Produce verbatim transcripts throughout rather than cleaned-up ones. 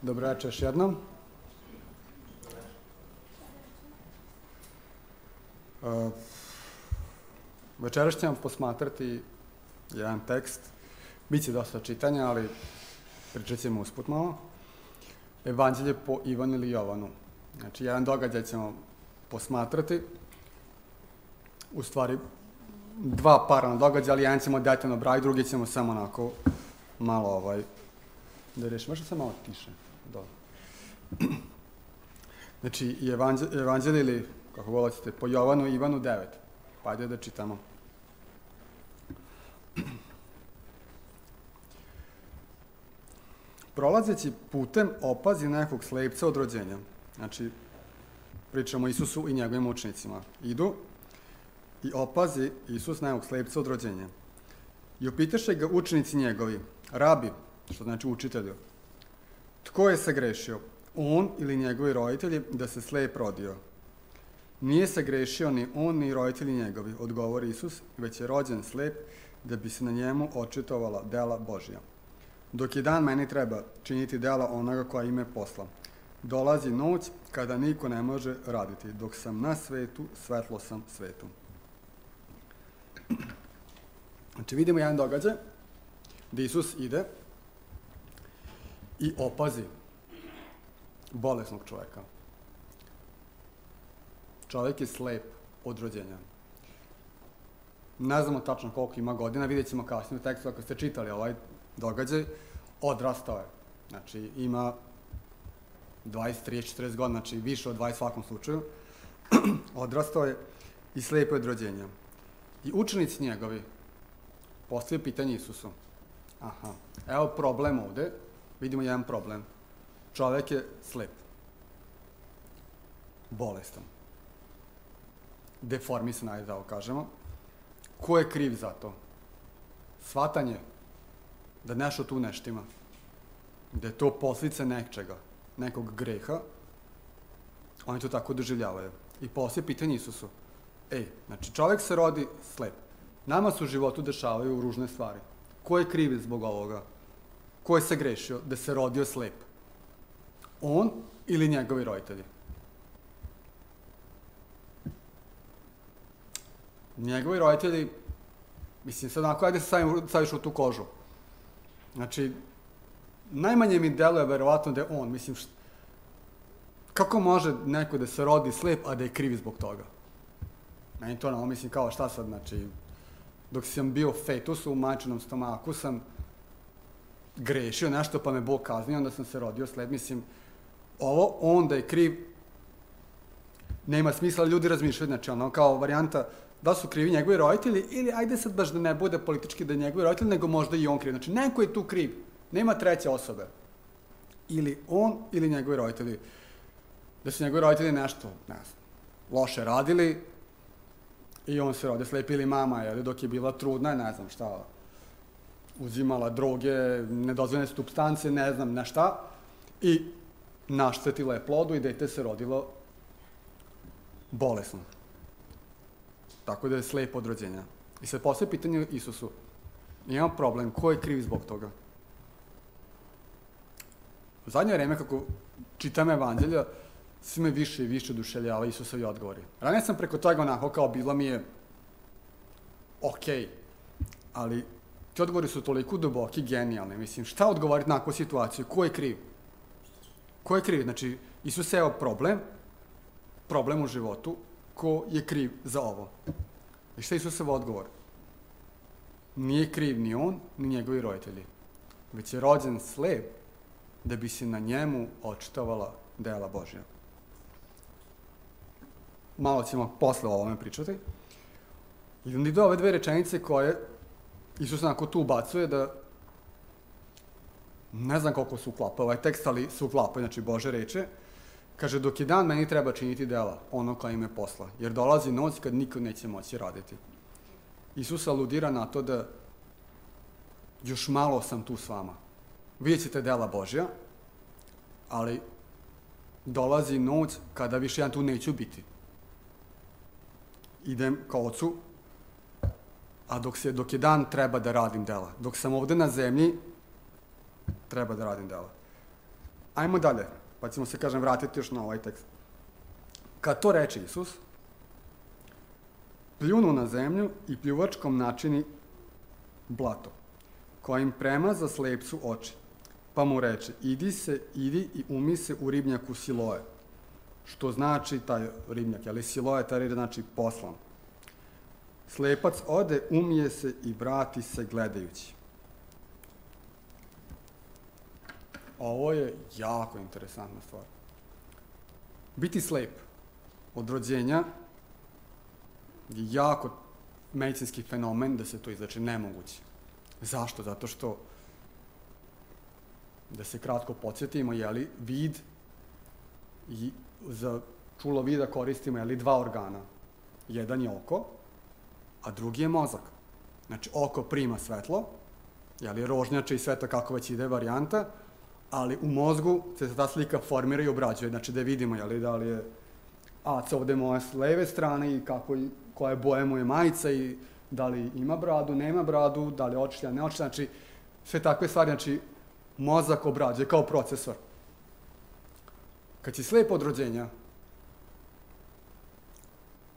Dobro večer još jednom. Uh, večeras ćemo posmatrati jedan tekst. Biće dosta čitanja, ali pričat ćemo usput malo. Evanđelje po Ivanu ili Jovanu. Znači, jedan događaj ćemo posmatrati. U stvari, dva paralelna događaja, ali jedan ćemo detaljno brati, drugi ćemo samo onako malo ovaj... Da rešimo, možda sam malo tiše. Dobro. Znači, evanđelje ili, kako volite, po Jovanu i Ivanu devet. Pa ajde da čitamo. Prolazeći putem opazi nekog slepca od rođenja. Znači, pričamo o Isusu i njegovim učenicima. Idu i opazi Isus nekog slepca od rođenja. I upitaše ga učenici njegovi, rabi, što znači učitelju, tko je sagrešio, on ili njegovi roditelji, da se slep rodio? Nije sagrešio ni on, ni roditelji njegovi, odgovori Isus, već je rođen slep, da bi se na njemu očitovala dela Božja. Dok je dan, meni treba činiti dela onoga koja ime posla. Dolazi noć kada niko ne može raditi. Dok sam na svetu, svetlo sam svetu. Znači, vidimo jedan događaj gde Isus ide i opazi bolesnog čoveka. Čovek je slep od rođenja. Ne znamo tačno koliko ima godina, vidjet ćemo kasnije u tekstu, ako ste čitali ovaj događaj, odrastao je. Znači, ima dvadeset, trideset, četrdeset godina, znači više od dvadeset svakom slučaju. Odrastao je i slep je od rođenja. I učenici njegovi postavljaju pitanje Isusu. Aha, evo problem ovde, vidimo jedan problem. Čovek je slep, bolestan, deformisan, ajde da ovo kažemo. Ko je kriv za to? Shvatanje da nešto tu neštima, da je to posljedica nečega, nekog greha, oni to tako doživljavaju. I poslije pitanje Isusu, ej, znači čovek se rodi slep, nama se u životu dešavaju ružne stvari. Ko je kriv zbog ovoga? Ko je se grešio da se rodio slep? On ili njegovi roditelji? Njegovi roditelji, mislim, sad onako, ajde se staviš u tu kožu. Znači, najmanje mi deluje verovatno da je on, mislim, št... kako može neko da se rodi slep, a da je kriv zbog toga? Meni to ono, mislim, kao šta sad, znači, dok sam bio fetus u majčinom stomaku, sam grešio nešto, pa me Bog kaznio, onda sam se rodio slep, mislim, ovo, on da je kriv, nema smisla, ali ljudi razmišljaju, znači, ono, kao varijanta, da su krivi njegovi roditelji, ili ajde sad baš da ne bude politički da je njegovi roditelji, nego možda i on kriv. Znači, neko je tu kriv. Nema treće osobe. Ili on, ili njegovi roditelji. Da su njegovi roditelji nešto, ne znam, loše radili i on se rodio slep, ili mama, jer dok je bila trudna, ne znam šta, uzimala droge, nedozvoljene supstance, ne znam, ne šta, i naštetila je plodu i dete se rodilo bolesno. Tako da je slep od rođenja. I sad poslije pitanje Isusu, imam problem, ko je kriv zbog toga? U zadnje vreme, kako čitam evanđelja, svi me više i više oduševljava Isusovi odgovori. Ranije sam preko toga onako kao bilo mi je okej, ali ti odgovori su toliko duboki, genijalni. Mislim, šta odgovoriti na takvu situaciju? Ko je kriv? Ko je kriv? Znači, Isus je evo problem, problem u životu, ko je kriv za ovo? I šta je Isusov odgovor? Nije kriv ni on, ni njegovi roditelji. Već je rođen slep da bi se na njemu očitovala dela Božja. Malo ćemo posle o ovome pričati. I onda ide ove dve rečenice koje Isus onako tu ubacuje da ne znam koliko se uklapa ovaj tekst, ali se uklapa, znači Bože reče. Kaže, dok je dan, meni treba činiti dela, ono koja ime posla, jer dolazi noć kad niko neće moći raditi. Isus aludira na to da još malo sam tu s vama. Vidjet ćete dela Božja, ali dolazi noć kada više ja tu neću biti. Idem ka Ocu, a dok, se, dok je dan, treba da radim dela. Dok sam ovde na zemlji, treba da radim dela. Ajmo dalje, pa ćemo se, kažem, vratiti još na ovaj tekst. Kad to reče Isus, pljunu na zemlju i pljuvačkom načini blato, kojim premaza slepcu oči. Pa mu reče, idi se, idi i umi se u ribnjaku Siloe. Što znači taj ribnjak, ali Siloe taj znači poslan. Slepac ode, umije se i vrati se gledajući. Ovo je jako interesantna stvar. Biti slep od rođenja je jako medicinski fenomen da se to izleči, nemoguće. Zašto? Zato što, da se kratko podsjetimo, jeli, vid, i za čulo vida koristimo, jeli, dva organa. Jedan je oko, a drugi je mozak. Znači, oko prima svetlo, jeli, rožnjače i sve to kako već ide varijanta, ali u mozgu se ta slika formira i obrađuje, znači da vidimo, jeli, da li je Aca ovde moja s leve strane i kako, koja boje mu je majica i da li ima bradu, nema bradu, da li je očlja, ne očlja, znači sve takve stvari, znači mozak obrađuje kao procesor. Kad si slep od rođenja,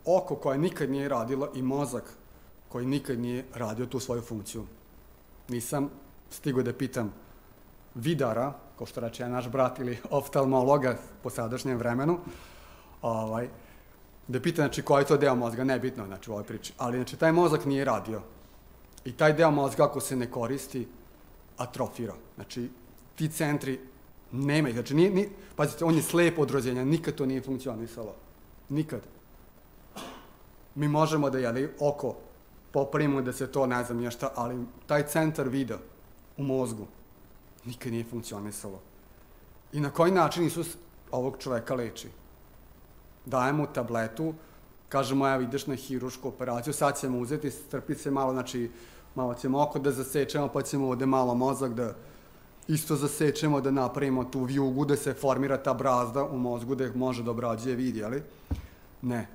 oko koje nikad nije radilo i mozak koji nikad nije radio tu svoju funkciju. Nisam stigao da pitam vidara, kao što reče naš brat, ili oftalmologa po sadašnjem vremenu, ovaj, da pitam, znači, koji je to deo mozga, nebitno, znači, u ovoj priči. Ali, znači, taj mozak nije radio. I taj deo mozga, ako se ne koristi, atrofira. Znači, ti centri nema ih. Znači, nije, nije, pazite, on je slep od rođenja, nikad to nije funkcionisalo. Nikad. Mi možemo da, jeli, oko popravimo da se to, ne znam nešto, ali taj centar vida u mozgu nikad nije funkcionisalo. I na koji način Isus ovog čoveka leči? Daje mu tabletu, kažemo, evo, ideš na hirušku operaciju, sad ćemo uzeti, strpi se malo, znači, malo ćemo oko da zasečemo, pa ćemo ovde malo mozak da isto zasečemo, da napravimo tu vijugu, da se formira ta brazda u mozgu, da može da obrađuje vid, jeli? Ne.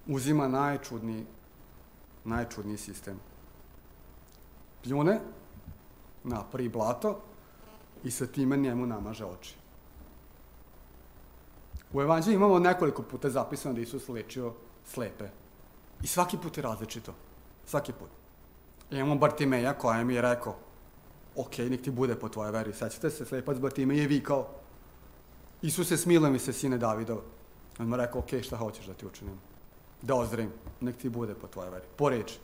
Uzima najčudniji, najčudniji sistem. Pljune, napravi blato i sa time njemu namaže oči. U Evanđelju imamo nekoliko puta zapisano da Isus lečio slepe. I svaki put je različito. Svaki put. Imamo Bartimeja koja mi je rekao, ok, nek ti bude po tvojoj veri. Sećate se, slepac Bartimej je vikao, Isuse, smiluj mi se, sine Davidov. On mu rekao, ok, šta hoćeš da ti učinim? Da ozdravim, nek ti bude po tvojoj veri. Po reči.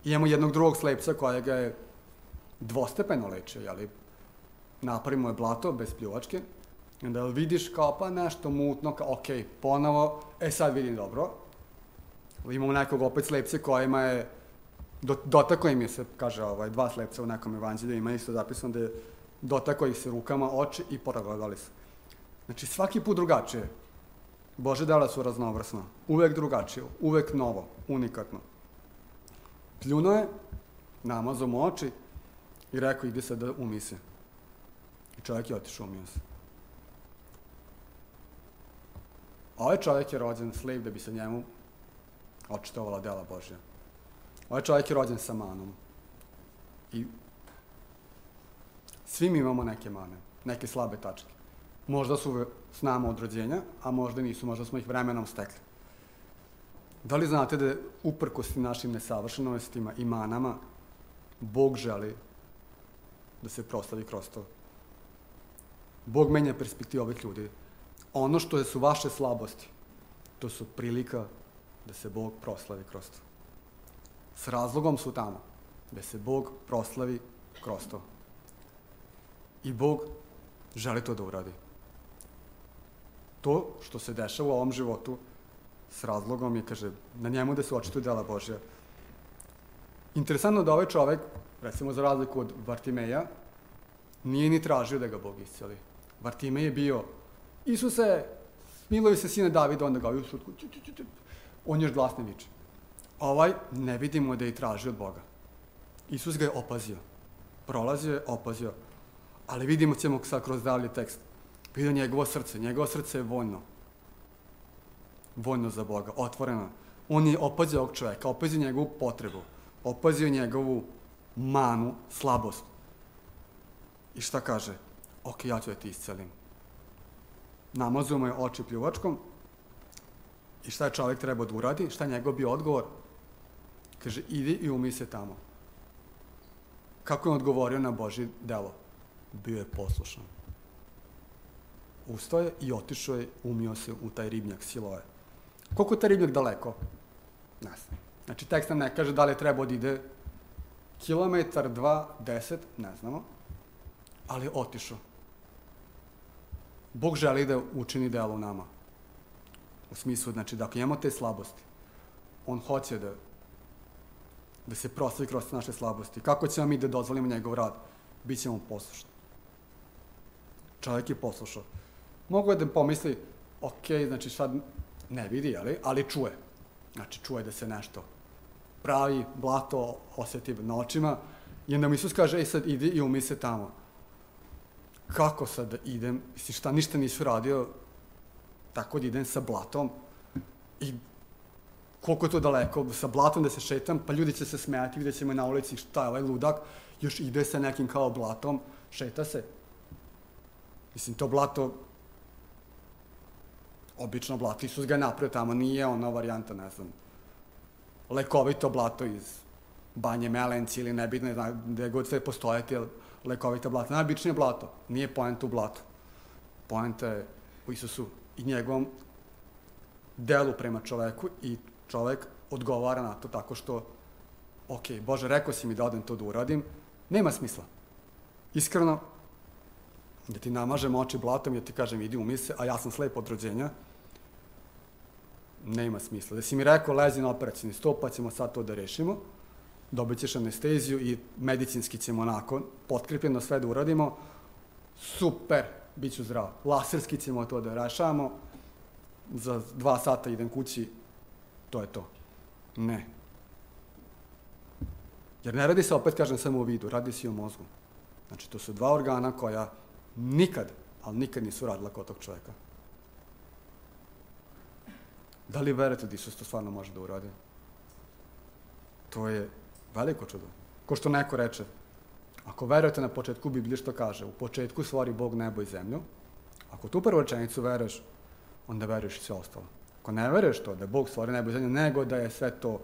I imamo jednog drugog slepca koja ga je dvostepeno lečio, jeli? Napravimo je blato, bez pljuvačke, i onda vidiš kao pa nešto mutno, kao ok, ponovo, e sad vidim dobro. Imamo nekog opet slepce kojima je, do, dotako im je se, kaže ovaj, dva slepca u nekom evanđelju, ima isto zapisano da je dotako ih se rukama oči i poragledali se. Znači svaki put drugačije. Bože dela su raznovrsna, uvek drugačije, uvek novo, unikatno. Pljuno je, namazao mu oči i rekao ide se da umi se. I čovjek je otišao, umio se. Ovaj čovjek je rođen slep da bi se njemu očitovala dela Božja. Ovaj čovjek je rođen sa manom. I svi mi imamo neke mane, neke slabe tačke. Možda su s nama od rođenja, a možda nisu, možda smo ih vremenom stekli. Da li znate da uprkos našim nesavršenostima i manama, Bog želi da se proslavi kroz to? Bog menja perspektivu ovih ljudi. Ono što su vaše slabosti, to su prilika da se Bog proslavi kroz to. S razlogom su tamo, da se Bog proslavi kroz to. I Bog želi to da uradi. To što se dešava u ovom životu, s razlogom je, kaže, na njemu da se očituju dela Božja. Interesantno da ovaj čovek, recimo za razliku od Bartimeja, nije ni tražio da ga Bog isceli. Bartimej je bio, Isuse, smiluj se, sine Davida, onda ga ovaj ušutku, on još glasne viče. Ovaj ne vidimo da je tražio od Boga. Isus ga je opazio. Prolazio je, opazio. Ali vidimo ćemo sad kroz dalje tekst. Vidio njegovo srce. Njegovo srce je voljno. Voljno za Boga, otvoreno. On je opazio ovog čoveka, opazio njegovu potrebu, opazio njegovu manu, slabost. I šta kaže? ok, ja ću da ti iscelim. Namazao mu je oči pljuvačkom i šta je čovjek trebao da uradi? Šta je njegov bio odgovor? Kaže, idi i umij se tamo. Kako je odgovorio na Božje delo? Bio je poslušan. Ustao je i otišao je, umio se u taj ribnjak Siloe. Koliko je taj ribnjak daleko? Ne znam. Znači, tekst nam ne kaže da li je trebao da ide kilometar, dva, deset, ne znamo, ali je otišao. Bog želi da učini delo u nama. U smislu, znači, da ako imamo te slabosti, on hoće da da se proslavi kroz naše slabosti. Kako ćemo mi da dozvolimo njegov rad? Bićemo poslušni. Čovjek je poslušao. Mogu je da pomisli, ok, znači sad ne vidi, ali, ali čuje. Znači, čuje da se nešto pravi, blato osjeti na očima, i onda mu Isus kaže, ej sad idi i umij se tamo. Kako sad da idem? Mislim, šta, ništa nisu radio, tako da idem sa blatom i koliko je to daleko, sa blatom da se šetam, pa ljudi će se smijati, vidjet ćemo na ulici šta je ovaj ludak, još ide sa nekim kao blatom, šeta se. Mislim, to blato, obično blato, Isus ga je napravio tamo, nije ono varijanta, ne znam, lekovito blato iz Banje Melenci ili nebitno, ne znam, gde god sve postojati, lekovito blato, najobičnije blato, nije poenta u blatu. Poenta je u Isusu i njegovom delu prema čoveku i čovek odgovara na to tako što, ok, Bože, rekao si mi da odem to da uradim, nema smisla. Iskreno, da ti namažem oči blatom i da ti kažem idi umij se, a ja sam slep od rođenja, nema smisla. Da si mi rekao lezi na operacijni sto, pa ćemo sad to da rešimo, dobit ćeš anesteziju i medicinski ćemo onako potkrepljeno sve da uradimo, super, bit ću zdrav. Laserski ćemo to da rešavamo, za dva sata idem kući, to je to. Ne. Jer ne radi se, opet kažem, samo u vidu, radi se i u mozgu. Znači, to su dva organa koja nikad, ali nikad nisu radila kod tog čoveka. Da li verujete da Isus to stvarno može da uradi? To je veliko čudo. Ko što neko reče, ako verujete na početku Biblije što kaže, u početku stvori Bog nebo i zemlju, ako tu prvu rečenicu veruješ, onda veruješ i sve ostalo. Ako ne veruješ to, da Bog stvori nebo i zemlju, nego da je sve to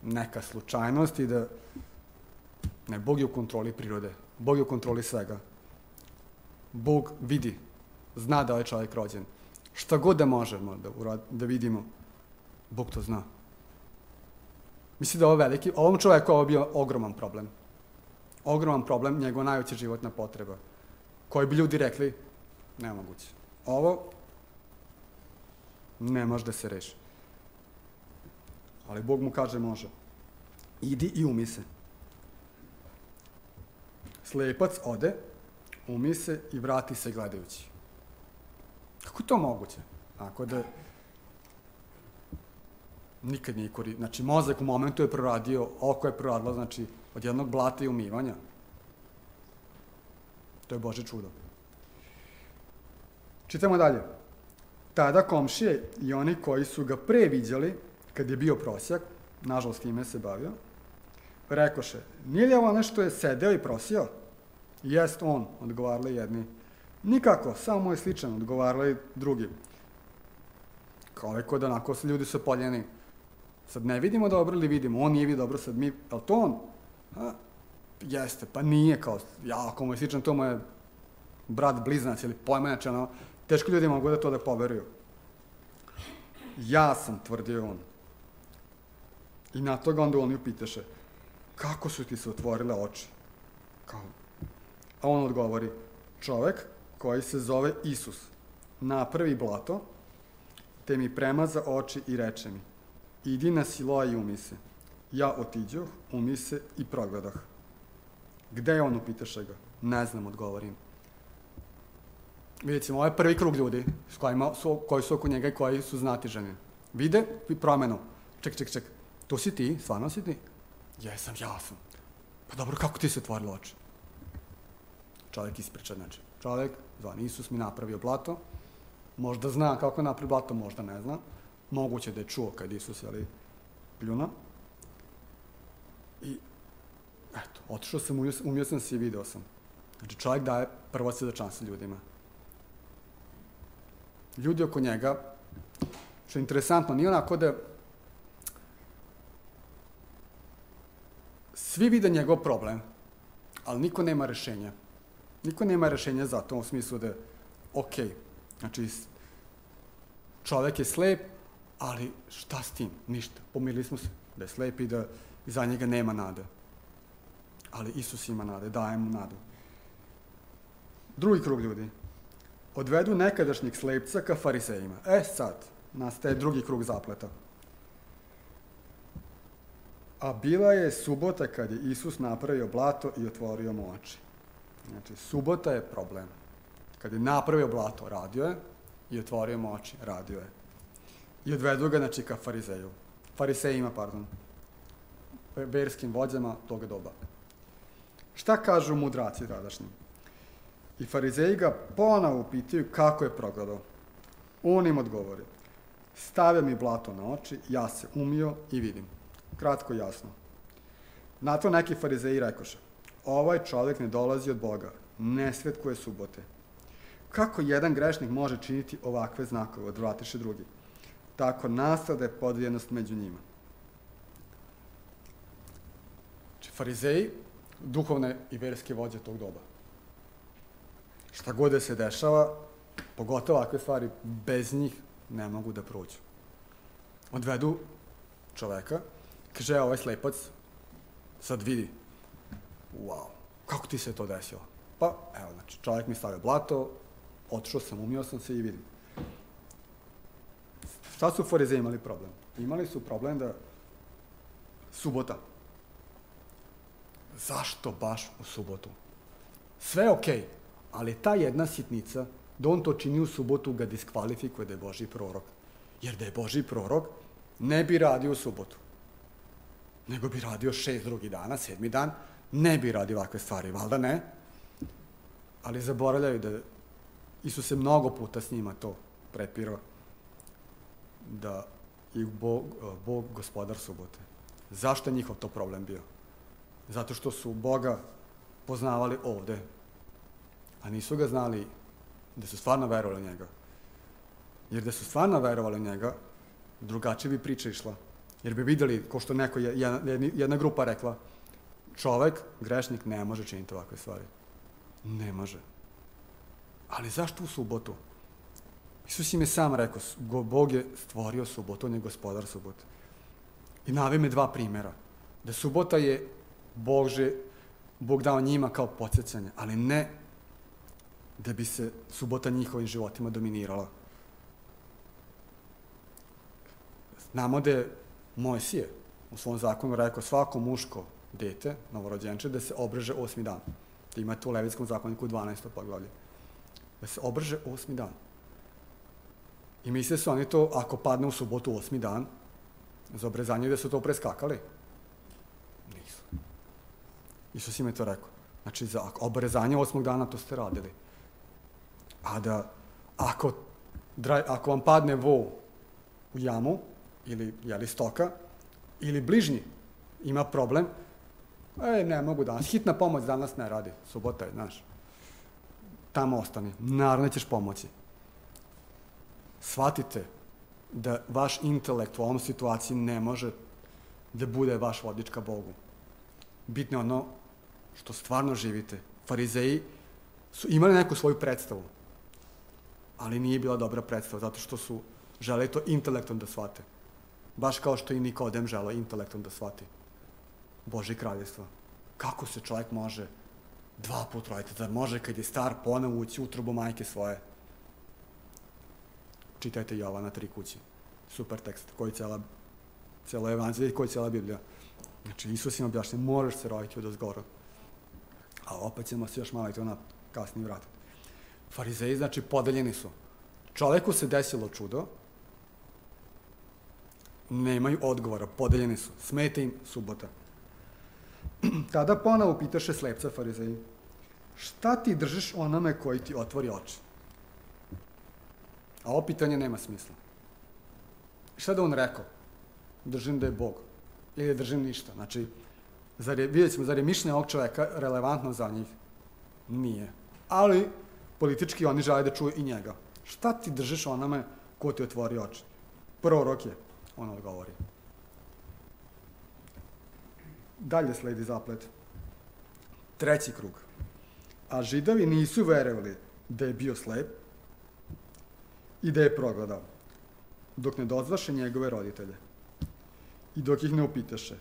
neka slučajnost i da ne, Bog je u kontroli prirode, Bog je u kontroli svega. Bog vidi, zna da je čovjek rođen. Šta god da možemo da, urad, da vidimo, Bog to zna. Mislim da je ovo veliki, ovom čovjeku ovo bio ogroman problem. Ogroman problem, njegova najveća životna potreba, koji bi ljudi rekli, nemoguće. Ovo ne može da se reši. Ali Bog mu kaže može. Idi i umij se. Slepac ode, umij se i vrati se gledajući. Kako je to moguće? Ako da nikad nije koristio. Znači, mozak u momentu je proradio, oko je proradilo, znači, od jednog blata i umivanja. To je Božje čudo. Čitamo dalje. Tada komšije i oni koji su ga pre viđali, kad je bio prosjak, nažalost time se bavio, rekoše, nije li ovo ono što je sedeo i prosio? Jest on, odgovarali jedni. Nikako, samo mu je sličan, odgovarali drugi. Kao je kod onako, ljudi su poljeni. Sad ne vidimo dobro ili vidimo, on nije vidio dobro, sad mi, je li to on? A, jeste, pa nije, kao, ja, ako mu je sličan, to mu je brat blizanac ili pojmenač, ono, teško ljudi mogu da to da poveruju. Ja sam, tvrdio on. I na toga onda oni upitaše, kako su ti se otvorile oči? Kao, a on odgovori, čovek koji se zove Isus, napravi blato, te mi premaza oči i reče mi, idi na Siloa i umij se. Ja otiđoh, umij se i progledah. Gde je on, upitaše ga? Ne znam, odgovorim. Vidjet ćemo, ovo je prvi krug ljudi s kojima su, koji su oko njega i koji su znatiženi. Vide promenu. Ček, ček, ček, to si ti, stvarno si ti? Jesam, ja sam. Pa dobro, kako ti se otvorilo oči? Čovjek ispriča, znači. Čovjek, zvan Isus, mi napravio blato. Možda zna kako je napravio blato, možda ne zna. Moguće da je čuo kad Isus, ali pljuna. I, eto, otišao sam, umio sam se i video sam. Znači, čovjek daje prvo svjedočanstvo ljudima. Ljudi oko njega, što je interesantno, nije onako da svi vide njegov problem, ali niko nema rešenja. Niko nema rešenja za to u smislu da, ok, znači, čovjek je slep, ali šta s tim? Ništa. Pomirili smo se da je slep i da iza njega nema nade. Ali Isus ima nade, daje mu nadu. Drugi krug ljudi. Odvedu nekadašnjeg slepca ka farisejima. E sad, nastaje drugi krug zapleta. A bila je subota kad je Isus napravio blato i otvorio mu oči. Znači, subota je problem. Kad je napravio blato, radio je, i otvorio mu oči, radio je. I odvedu ga, znači, ka farizeju. Farisejima, pardon. Verskim vođama toga doba. Šta kažu mudraci tadašnji? I farizeji ga ponovo pitaju kako je progledao. On im odgovori. Stavio mi blato na oči, ja se umio i vidim. Kratko i jasno. Na to neki farizeji rekoše. Ovaj čovjek ne dolazi od Boga, ne svetkuje subote. Kako jedan grešnik može činiti ovakve znakove, odvratiše drugi? Tako nastade podijeljenost među njima. Znači, farizeji, duhovne i verske vođe tog doba. Šta god da se dešava, pogotovo ovakve stvari, bez njih ne mogu da prođu. Odvedu čoveka, kaže, ovaj slepac, sad vidi, wow, kako ti se to desilo? Pa, evo, znači, čovjek mi stavio blato, otišao sam, umio sam se i vidim. Šta su farizeji imali problem? Imali su problem da subota. Zašto baš u subotu? Sve je okej, ali ta jedna sitnica, da on to čini u subotu, ga diskvalifikuje da je Božji prorok. Jer da je Božji prorok, ne bi radio u subotu. Nego bi radio šest drugih dana, sedmi dan, ne bi radio ovakve stvari, valjda ne. Ali zaboravljaju da Isus se mnogo puta s njima to prepirao, da je Bog, Bog gospodar subote. Zašto je njihov to problem bio? Zato što su Boga poznavali ovde, a nisu ga znali da su stvarno verovali u njega. Jer da su stvarno verovali u njega, drugačije bi priča išla. Jer bi videli, ko što neko, jedna, jedna grupa rekla, čovek, grešnik, ne može činiti ovakve stvari. Ne može. Ali zašto u subotu? Isus im je sam rekao, Bog je stvorio subotu, on je gospodar subote. I naveo me dva primjera. Da subota je Bože, Bog dao njima kao podsjećanje, ali ne da bi se subota njihovim životima dominirala. Znamo da je Mojsije u svom zakonu rekao svako muško dete, novorođenče, da se obreže osmi dan. Da imate u Levitskom zakoniku dvanaesto poglavlje. Da se obreže osmi dan. I misle su oni to, ako padne u subotu osmi dan, za obrezanje da su to preskakali. Nisu. Isus im je to rekao. Znači, za obrezanje osmog dana to ste radili. A da, ako, ako vam padne vo u jamu, ili jeli stoka, ili bližnji ima problem, e, ne mogu danas, hitna pomoć danas ne radi, subota je, znaš, tamo ostani, naravno ćeš pomoći. Shvatite da vaš intelekt u ovom situaciji ne može da bude vaš vodič ka Bogu. Bitno je ono što stvarno živite. Farizeji su imali neku svoju predstavu, ali nije bila dobra predstava, zato što su želeli to intelektom da shvate. Baš kao što i Nikodem želeo intelektom da shvati Božje kraljevstvo. Kako se čovjek može dva put roditi? Da može kad je star ponovo ući u utrobu majke svoje? Čitajte Jovana tri kući. Super tekst, koji cijela, cijela evanđelje i koji cijela Biblija. Znači, Isus im objašnja, moraš se roditi od ozgora. A opet ćemo se još malo i to na kasnije vratiti. Farizeji, znači, podeljeni su. Čovjeku se desilo čudo, nemaju odgovora, podeljeni su. Smeta im subota. Tada ponovo pitaše slepca farizeji, šta ti držiš onome koji ti otvori oči? A ovo pitanje nema smisla. Šta da on rekao? Držim da je Bog. Ili držim ništa. Znači, zar je, vidjet ćemo, zar je mišljenje ovog čoveka relevantno za njih? Nije. Ali, politički oni žele da čuju i njega. Šta ti držiš onome ko ti otvori oči? Prorok je, on odgovori. Dalje sledi zaplet. Treći krug. A Židovi nisu verovali da je bio slep i da je progledao, dok ne dozvaše njegove roditelje i dok ih ne upitaše.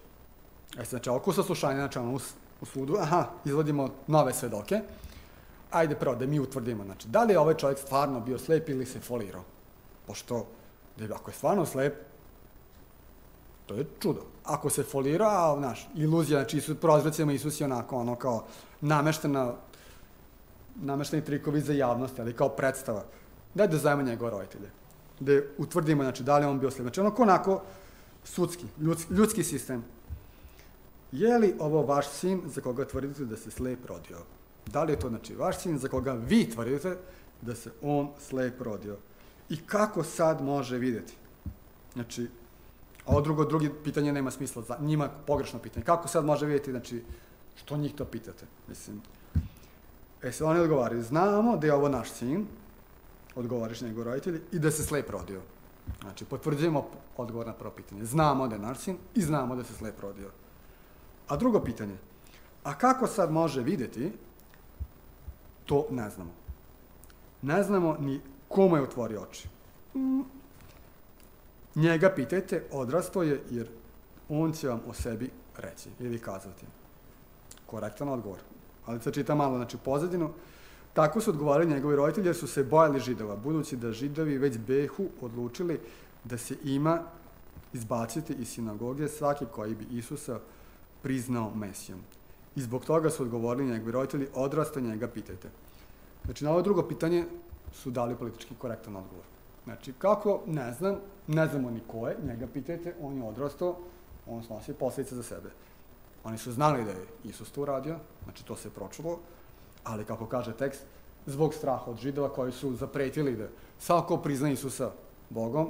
E, znači, oko saslušanja, znači, ono, u sudu, aha, izvodimo nove svedoke, ajde prvo da mi utvrdimo, znači, da li je ovaj čovjek stvarno bio slep ili se folirao? Pošto, da ako je stvarno slep, to je čudo. Ako se folirao, znaš, iluzija, znači, Isus, prozrecima Isus je onako, ono, kao nameštena, namešteni trikovi za javnost, ali kao predstava. Daj da zajemo njegove roditelje. Da utvrdimo, znači, da li je on bio slep. Znači, onako, onako, sudski, ljudski, ljudski sistem. Je li ovo vaš sin za koga tvrdite da se slep rodio? Da li je to, znači, vaš sin za koga vi tvrdite da se on slep rodio? I kako sad može vidjeti? Znači, a ovo drugo, drugi pitanje nema smisla, za njima pogrešno pitanje. Kako sad može vidjeti, znači, što njih to pitate? Mislim, e se oni odgovaraju, znamo da je ovo naš sin, odgovoriš njegov roditelji, i da se slep rodio. Znači, potvrđujemo odgovor na prvo pitanje. Znamo da je naš sin i znamo da se slep rodio. A drugo pitanje, a kako sad može vidjeti, to ne znamo. Ne znamo ni kome je otvorio oči. Njega pitajte, odrastao je, jer on će vam o sebi reći ili kazati. Korektan odgovor. Ali se čita malo, znači, pozadinu. Tako su odgovarali njegovi roditelji jer su se bojali Židova, budući da Židovi već behu odlučili da se ima izbaciti iz sinagoge svaki koji bi Isusa priznao Mesijom. I zbog toga su odgovorili njegovi roditelji, odrastao, njega pitajte. Znači, na ovo drugo pitanje su dali politički korektan odgovor. Znači, kako, ne znam, ne znamo ni ko je, njega pitajte, on je odrastao, on snosi posljedice za sebe. Oni su znali da je Isus to uradio, znači to se pročulo, ali kako kaže tekst, zbog straha od Židova koji su zapretili da svako prizna Isusa Bogom,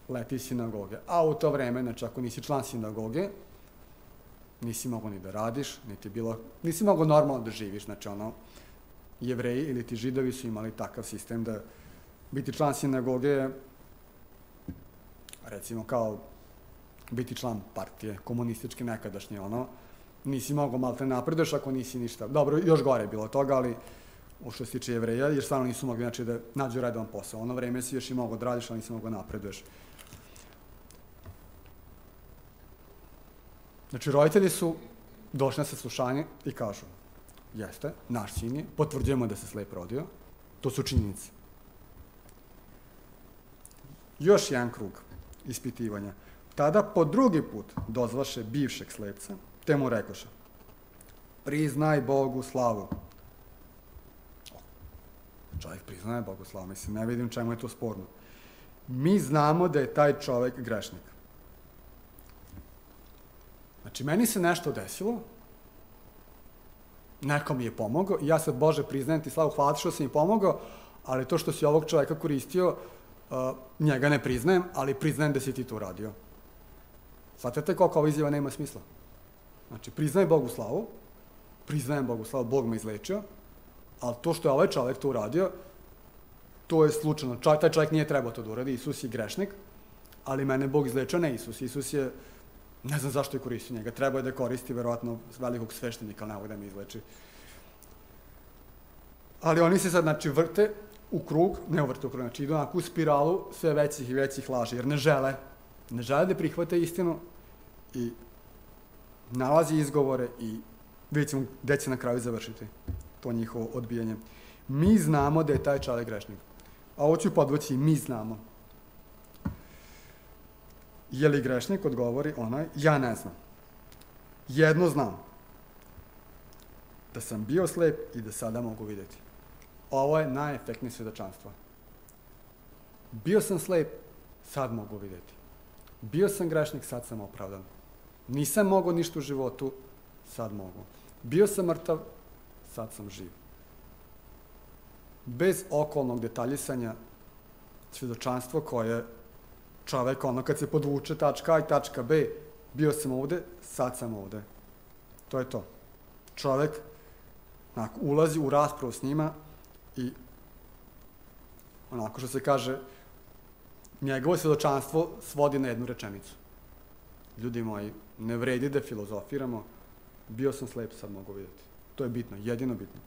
leti iz sinagoge. A u to vreme, znači ako nisi član sinagoge, nisi mogao ni da radiš, niti bilo, nisi mogao normalno da živiš, znači ono, Jevreji ili ti Židovi su imali takav sistem da biti član sinagoge, recimo kao biti član partije, komunističke nekadašnje, ono, nisi mogao malo te napreduješ ako nisi ništa. Dobro, još gore je bilo toga, ali u što se tiče Jevreja, jer stvarno nisu mogli, znači, da nađu redovan posao. Ono vreme si još i mogao da radiš, ali nisi mogao napreduješ. Znači, roditelji su došli na saslušanje i kažu, jeste, naš sin je, potvrđujemo da se slep rodio, to su činjenice. Još jedan krug ispitivanja. Tada po drugi put dozvaše bivšeg slepca, te mu rekoše, priznaj Bogu slavu. Čovjek priznaje Bogu slavu, mislim, ne vidim čemu je to sporno. Mi znamo da je taj čovjek grešnik. Znači, meni se nešto desilo, neko mi je pomogao i ja sad, Bože, priznajem ti slavu, hvala ti što si mi pomogao, ali to što si ovog čovjeka koristio, uh, njega ne priznajem, ali priznajem da si ti to uradio. Svatate koliko ova izjava nema smisla. Znači, priznaj Bogu slavu, priznajem Bogu slavu, Bog me izlečio, ali to što je ovaj čovjek to uradio, to je slučajno. Čaj, taj čovjek nije trebao to da uradi, Isus je grešnik, ali mene Bog izlečio, ne Isus. Isus je, ne znam zašto je koristio njega, trebao je da koristi verovatno velikog sveštenika, ali ne mogu da me izleči. Ali oni se sad, znači, vrte u krug, ne vrte u krug, znači idu onako u spiralu sve većih i većih laži, jer ne žele, ne žele da prihvate istinu i nalazi izgovore i vidjet ćemo gde će na kraju završiti to njihovo odbijanje. Mi znamo da je taj čovjek grešnik. A ovo ću podvući, mi znamo. Je li grešnik, odgovori onaj, ja ne znam. Jedno znam, da sam bio slep i da sada mogu vidjeti. Ovo je najefektnije svjedočanstvo. Bio sam slep, sad mogu vidjeti. Bio sam grešnik, sad sam opravdan. Nisam mogao ništa u životu, sad mogu. Bio sam mrtav, sad sam živ. Bez okolnog detaljisanja, svjedočanstvo koje čovek, ono kad se podvuče tačka A i tačka B, bio sam ovde, sad sam ovde. To je to. Čovek onako, ulazi u raspravu s njima i onako što se kaže, njegovo svjedočanstvo svodi na jednu rečenicu. Ljudi moji, ne vredi da filozofiramo, bio sam slep, sad mogu vidjeti. To je bitno, jedino bitno.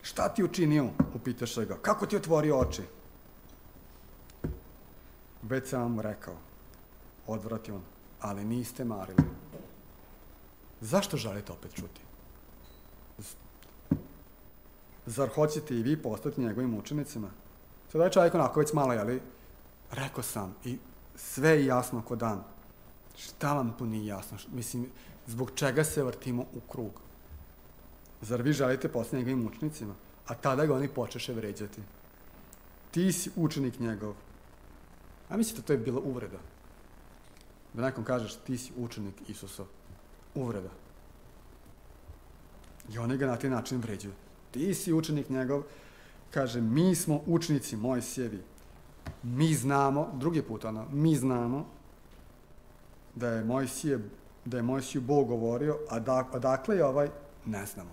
Šta ti učinio, upitaše ga, kako ti otvorio oči? Već sam vam rekao, odvrati on, ali niste marili. Zašto želite opet čuti? Zar hoćete i vi postati njegovim učenicima? Sada je čovjek onako već malo, jeli, rekao sam i sve je jasno ko dan. Šta vam tu nije jasno? Mislim, zbog čega se vrtimo u krug? Zar vi želite postati njegovim učenicima? A tada ga oni počeše vređati. Ti si učenik njegov. A mislite, to je bila uvreda. Da nekom kažeš, ti si učenik Isusov. Uvreda. I oni ga na taj način vređuju. Ti si učenik njegov. Kaže, mi smo učenici Mojsijevi. Mi znamo, drugi put ono, mi znamo da je Mojsije, da je Mojsiju Bog govorio, a da, odakle je ovaj, ne znamo.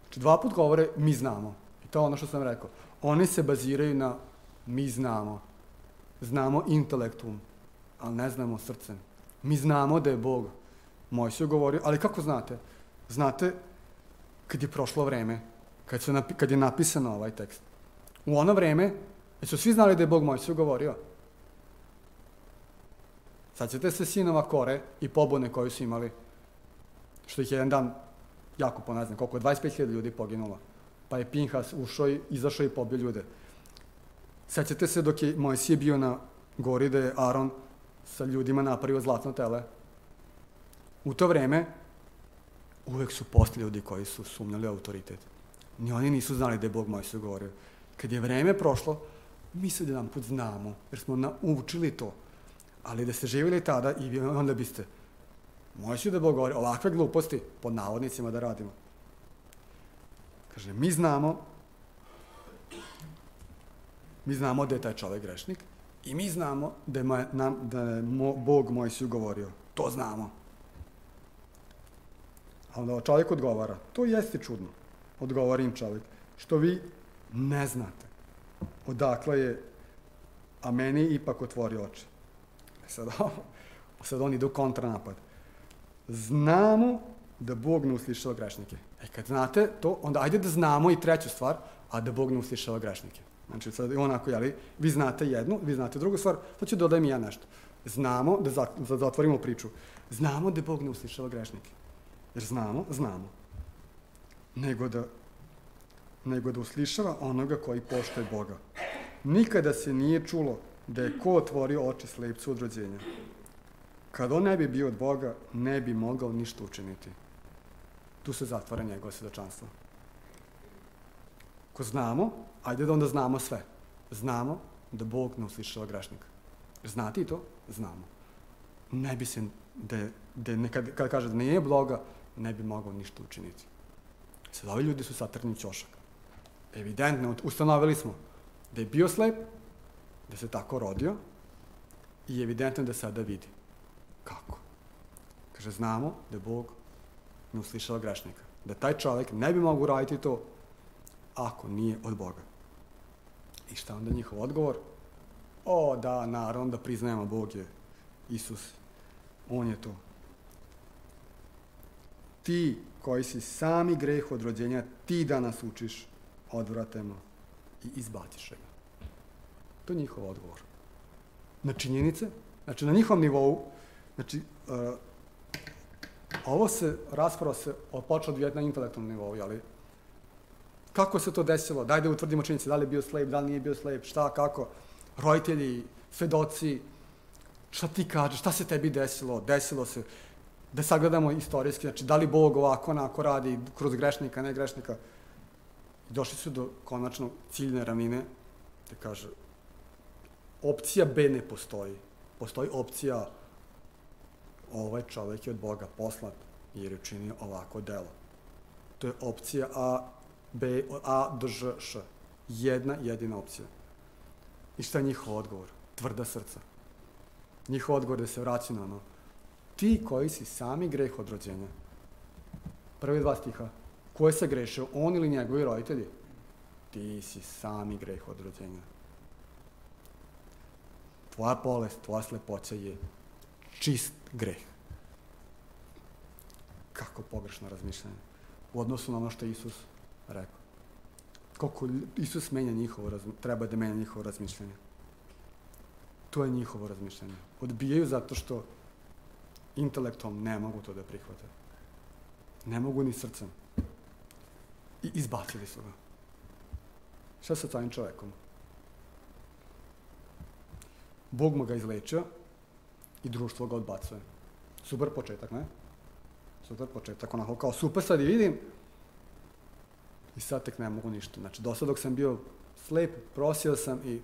Znači, dva put govore, mi znamo. I to je ono što sam rekao. Oni se baziraju na mi znamo. Znamo intelektum, ali ne znamo srcem. Mi znamo da je Bog Mojsiju govorio, ali kako znate? Znate kad je prošlo vreme, kad, su napi, kad je napisano ovaj tekst. U ono vreme, su svi znali da je Bog Mojsiju govorio. Sad ćete se sinova Kore i pobune koju su imali, što ih je jedan dan jako po ne znam koliko, dvadeset pet hiljada ljudi poginulo. Pa je Pinhas ušao i izašao i pobio ljude. Sećate se dok je Mojsije bio na gori da je Aron sa ljudima napravio zlatno tele. U to vreme uvek su postali ljudi koji su sumnjali autoritet. Ni oni nisu znali da je Bog Mojsiju govorio. Kad je vreme prošlo, mi se jedan put znamo, jer smo naučili to. Ali da ste živjeli tada i onda biste Mojsiju da je Bog govorio ovakve gluposti pod navodnicima da radimo. Kaže, mi znamo mi znamo da je taj čovjek grešnik i mi znamo da je, moj, nam, da je mo, Bog Mojsiju govorio. To znamo. A onda čovjek odgovara, to jeste čudno, odgovori im čovjek, što vi ne znate odakle je, a meni ipak otvori oči. Sad, sad oni idu kontranapad. Znamo da Bog ne uslišava grešnike. E kad znate to, onda ajde da znamo i treću stvar, a da Bog ne uslišava grešnike. Znači, sad onako, jeli, vi znate jednu, vi znate drugu stvar, to ću dodajem i ja nešto. Znamo, da, za, da zatvorimo priču, znamo da Bog ne uslišava grešnike. Jer znamo, znamo. Nego da, nego da uslišava onoga koji poštuje Boga. Nikada se nije čulo da je ko otvorio oči slepcu od rođenja. Kad on ne bi bio od Boga, ne bi mogao ništa učiniti. Tu se zatvara njegovo svjedočanstvo. Ko znamo, ajde da onda znamo sve. Znamo da Bog ne uslišava grešnika. Znate i to? Znamo. Ne bi se, da, da nekad, kada kaže da nije Boga, ne bi mogao ništa učiniti. Sad ovi ljudi su satrni ćošak. Evidentno, ustanovili smo da je bio slep, da se tako rodio i evidentno da sada vidi. Kako? Kaže, znamo da Bog ne uslišava grešnika. Da taj čovjek ne bi mogao raditi to ako nije od Boga. I šta onda njihov odgovor? O, da, naravno da priznajemo Bog je Isus. On je to. Ti koji si sami greh od rođenja, ti danas učiš, odvratemo i izbaciš ga. To je njihov odgovor. Na činjenice, znači na njihovom nivou, znači, uh, ovo se, rasprava se počela odvijati na intelektualnom nivou, jeli? Kako se to desilo? Daj da utvrdimo činjenice, da li je bio slep, da li nije bio slep, šta, kako? Roditelji, svedoci, šta ti kažeš, šta se tebi desilo? Desilo se, da sagledamo istorijski, znači, da li Bog ovako, onako radi, kroz grešnika, ne grešnika? I došli su do konačno ciljne ravnine, da kaže, opcija B ne postoji. Postoji opcija ovaj čovjek je od Boga poslat jer je učinio ovako delo. To je opcija A, B, A, D, Ž, Š. Jedna, jedina opcija. I šta je njihov odgovor? Tvrda srca. Njihov odgovor je da se vraća na ono ti koji si sami greh od rođenja. Prvi dva stiha. Ko je se grešio, on ili njegovi roditelji? Ti si sami greh od rođenja. Tvoja bolest, tvoja slepoća je čist greh. Kako pogrešno razmišljanje u odnosu na ono što je Isus rekao. Koliko Isus menja njihovo, treba da menja njihovo razmišljanje. To je njihovo razmišljanje. Odbijaju zato što intelektom ne mogu to da prihvate. Ne mogu ni srcem. I izbacili su ga. Šta sa tvojim čovekom? Bog mu ga izlečio i društvo ga odbacuje. Super početak, ne? Super početak, onako kao super sad i vidim i sad tek ne mogu ništa. Znači, do sad dok sam bio slep, prosio sam i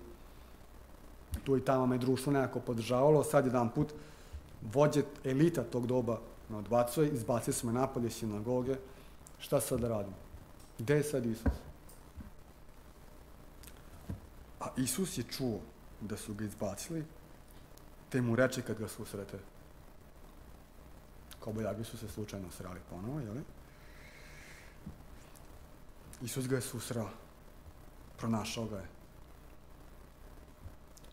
tu i tamo me društvo nekako podržavalo, sad jedan put vođe elita tog doba me odbacuje, izbacili su me napad iz sinagoge, šta sad da radim? Gde je sad Isus? A Isus je čuo da su ga izbacili, te mu reče kad ga susrete. Kobajagi su se slučajno srali ponovo, jel? Isus ga je susrao, pronašao ga je.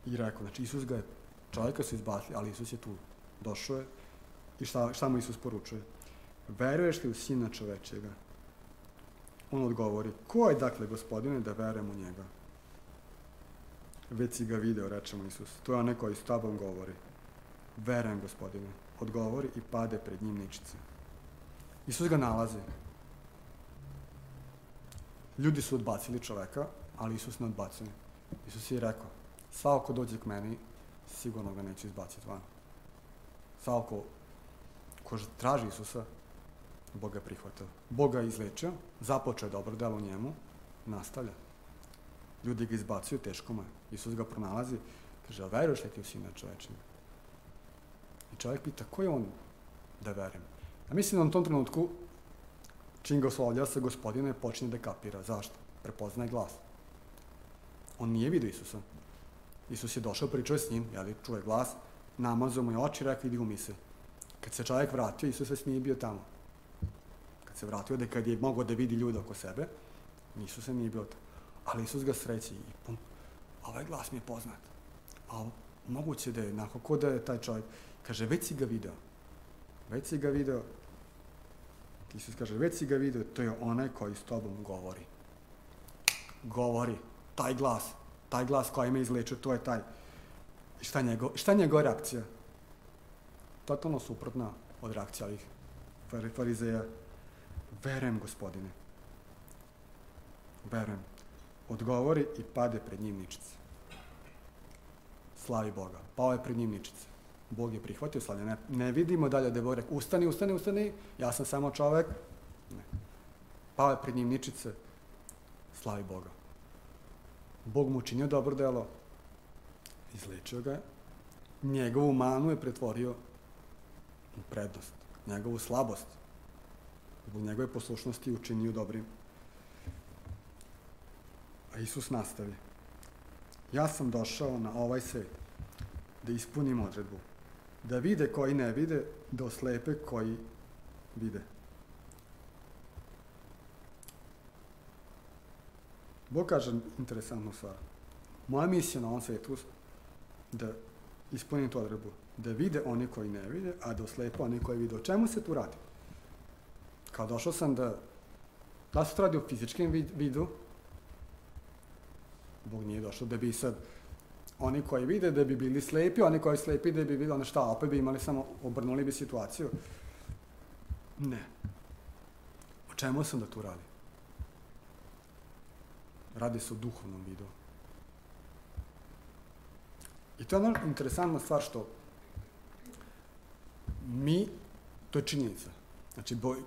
I rekao, znači Isus ga je, čovjeka su izbacili, ali Isus je tu, došao je. I šta, šta mu Isus poručuje? Veruješ li u Sina čovečega? On odgovori, ko je dakle, Gospodine, da verujem u njega? Već si ga video, reče mu Isus. To je onaj koji s tobom govori. Verujem, Gospodine. Odgovori i pade pred njim ničice. Isus ga nalazi. Ljudi su odbacili čoveka, ali Isus ne odbacuje. Isus je rekao, svako ko dođe k meni, sigurno ga neće izbaciti van. Svako ko traži Isusa, Bog ga prihvatio. Bog ga izlečio, započeo je dobro delo u njemu, nastavlja. Ljudi ga izbacuju, teško mu je. Isus ga pronalazi, kaže, a veruješ li ti u Sina čovečega? I čovjek pita, ko je on da verujem? A mislim da u tom trenutku, čim ga oslovlja sa Gospodine, počinje da kapira. Zašto? Prepoznaje glas. On nije vidio Isusa. Isus je došao, pričao je s njim, jeli, čuje glas, namazao mu je oči, rekao, idi u mise. Kad se čovjek vratio, Isus već nije bio tamo. Kad se vratio, da kad je mogao da vidi ljude oko sebe, Isus nije bio tamo. Ali Isus ga sreći i pum, ovaj glas mi je poznat. A moguće da je, nakon ko da je taj čovjek, kaže, već si ga video. Već si ga video. Isus kaže, već si ga video, to je onaj koji s tobom govori. Govori. Taj glas. Taj glas koji me izlečio, to je taj. I šta njegov, šta je njegova reakcija? Totalno suprotna od reakcija ovih farizeja. Verujem, Gospodine. Verujem. Odgovori i pade pred njim ničice. Slavi Boga. Pao je pred njim ničice. Bog je prihvatio slavlje. Ne, ne vidimo dalje da je Bog rekao, ustani, ustani, ustani, ja sam samo čovek. Ne. Pao je pred njim ničice. Slavi Boga. Bog mu učinio dobro delo. Izlečio ga je. Njegovu manu je pretvorio u prednost. Njegovu slabost. Zbog njegove poslušnosti učinio dobrim. A Isus nastavi. Ja sam došao na ovaj svet da ispunim odredbu. Da vide koji ne vide, da oslepe koji vide. Bog kaže interesantnu stvar. Moja misija na ovom svetu da ispunim tu odredbu. Da vide oni koji ne vide, a da oslepe oni koji vide. O čemu se tu radi? Kao došao sam da... Da se to radi u fizičkim vidu, Bog nije došao da bi sad oni koji vide da bi bili slepi, oni koji slepi da bi bili, ono šta, opet bi imali samo, obrnuli bi situaciju. Ne. O čemu sam da tu radi? Radi se o duhovnom vidu. I to je ono interesantna stvar što mi, to je činjenica. Znači, boj,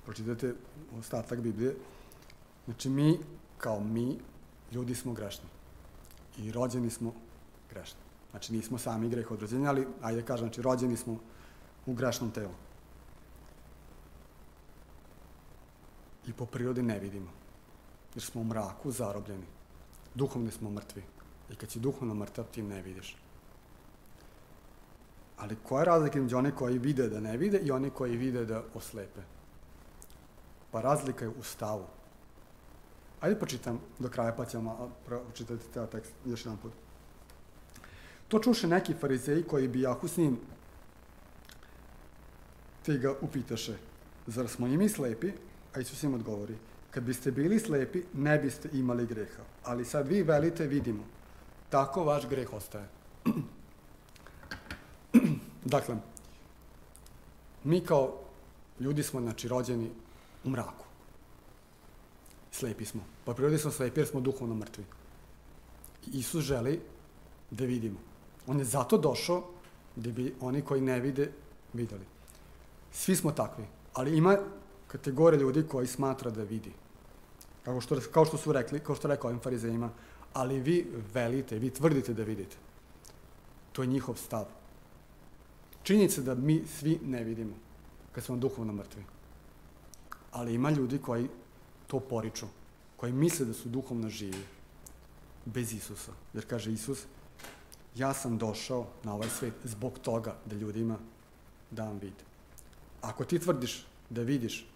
pročitate ostatak Biblije, znači mi, kao mi, ljudi smo grešni. I rođeni smo grešni. Znači, nismo sami greh od rođenja, ali, ajde kažem, znači, rođeni smo u grešnom telu. I po prirodi ne vidimo. Jer smo u mraku zarobljeni. Duhovni smo mrtvi. I kad si duhovno mrtav, ti ne vidiš. Ali koja je razlika između oni koji vide da ne vide i oni koji vide da oslepe? Pa razlika je u stavu. Ajde počitam do kraja, pa ćemo pročitati taj tekst još jedan put. To čuše neki farizeji koji bijahu s njim, te ga upitaše, zar smo i mi slepi? A Isus im odgovori, kad biste bili slepi, ne biste imali greha. Ali sad vi velite, vidimo. Tako vaš greh ostaje. Dakle, mi kao ljudi smo, znači, rođeni u mraku. Slepi smo. Po prirodi smo slepi jer smo duhovno mrtvi. I Isus želi da vidimo. On je zato došao da bi oni koji ne vide videli. Svi smo takvi, ali ima kategorija ljudi koji smatra da vidi. Kao što, kao što su rekli, kao što rekao ovim farizejima, ali vi velite, vi tvrdite da vidite. To je njihov stav. Činjenica da mi svi ne vidimo, kad smo duhovno mrtvi. Ali ima ljudi koji to poriču, koji misle da su duhovno živi, bez Isusa. Jer kaže Isus, ja sam došao na ovaj svet zbog toga da ljudima dam vid. Ako ti tvrdiš da vidiš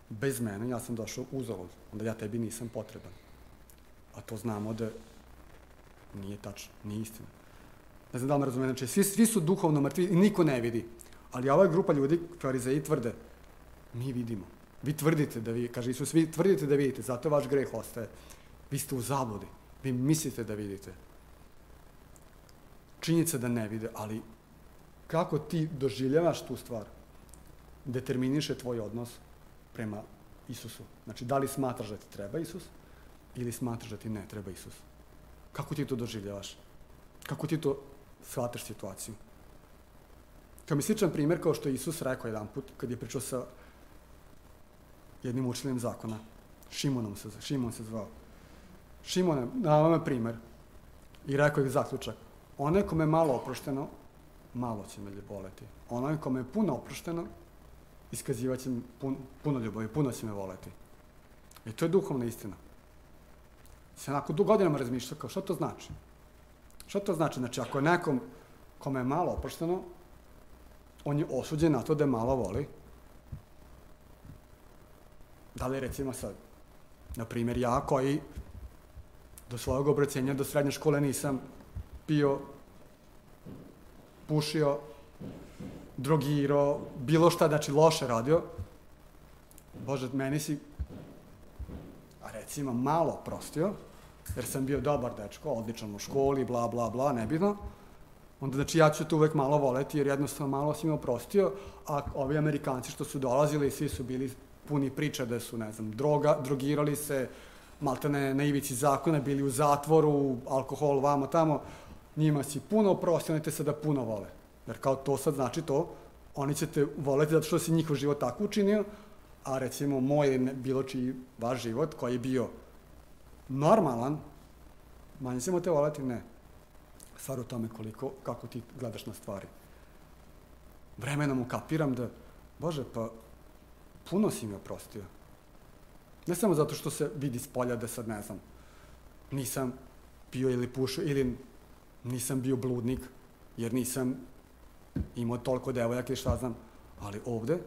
bez mene, ja sam došao uzalud, onda ja tebi nisam potreban. A to znamo da nije tačno, nije istina. Ne znam da li me razumije, znači svi, svi su duhovno mrtvi i niko ne vidi. Ali ova grupa ljudi, farizeji, tvrde, mi vidimo. Vi tvrdite da vi, kaže Isus, vi tvrdite da vidite, zato vaš greh ostaje. Vi ste u zabludi, vi mislite da vidite. Činjenica da ne vide, ali kako ti doživljavaš tu stvar, determiniše tvoj odnos prema Isusu. Znači, da li smatraš da ti treba Isus ili smatraš da ti ne treba Isus? Kako ti to doživljavaš? Kako ti to shvataš situaciju? Kao mi sličan primjer, kao što je Isus rekao jedan put, kad je pričao sa jednim učiteljem zakona, Šimonom se, Šimon se zvao. Šimon je dao me primjer i rekao je zaključak. Onaj kome je malo oprošteno, malo će me voleti. Onaj kome je puno oprošteno, iskazivat će pun, puno ljubavi, puno će me voleti. I to je duhovna istina. Se onako du godinama razmišlja kao što to znači? Što to znači? Znači, ako je nekom kome je malo oprošteno, on je osuđen na to da je malo voli. Da li recimo sad, na primjer ja koji do svojeg obraćenja, do srednje škole nisam pio, pušio, drogirao, bilo šta, znači loše radio, Bože, meni si, a recimo, malo oprostio, jer sam bio dobar dečko, odličan u školi, bla, bla, bla, nebitno, onda znači ja ću te uvek malo voleti, jer jednostavno malo si me oprostio, a ovi Amerikanci što su dolazili, svi su bili puni priča da su, ne znam, droga, drogirali se, maltene na ivici zakona, bili u zatvoru, alkohol, vamo, tamo, njima si puno oprostio, oni te sada puno vole. Jer kao to sad znači to, oni će te voleti zato što si njihov život tako učinio, a recimo moj, bilo čiji vaš život, koji je bio normalan, manje ćemo te voleti, ne. Stvar u tome koliko, kako ti gledaš na stvari. Vremenom ukapiram da, Bože, pa puno si mi oprostio. Ne samo zato što se vidi s polja da sad, ne znam, nisam pio ili pušio, ili nisam bio bludnik, jer nisam imao toliko devojaka ili šta znam, ali ovde,